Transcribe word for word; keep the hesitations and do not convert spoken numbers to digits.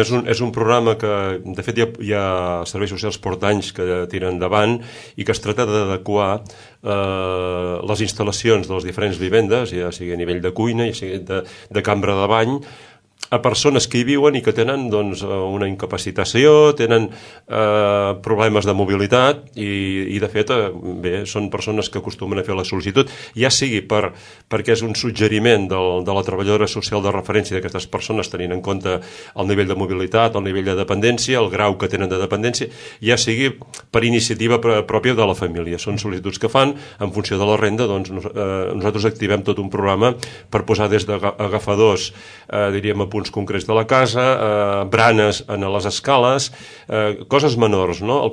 És un, és un programa que, de fet, hi ha, hi ha serveis socials porta anys que tiren endavant i que es tracta d'adequar eh, les instal·lacions de les diferents vivendes, ja sigui a nivell de cuina, ja sigui de, de cambra de bany, a persones que hi viuen i que tenen doncs, una incapacitació, tenen eh, problemes de mobilitat i, i de fet, eh, bé, són persones que acostumen a fer la sol·licitud, ja sigui per, perquè és un suggeriment del, de la treballadora social de referència d'aquestes persones tenint en compte el nivell de mobilitat, el nivell de dependència, el grau que tenen de dependència, ja sigui per iniciativa pròpia de la família. Són sol·licituds que fan en funció de la renda, doncs eh, nosaltres activem tot un programa per posar des d'agafadors, eh, diríem, a punts concrets de la casa, eh, branes en les escales, eh, coses menors, no? El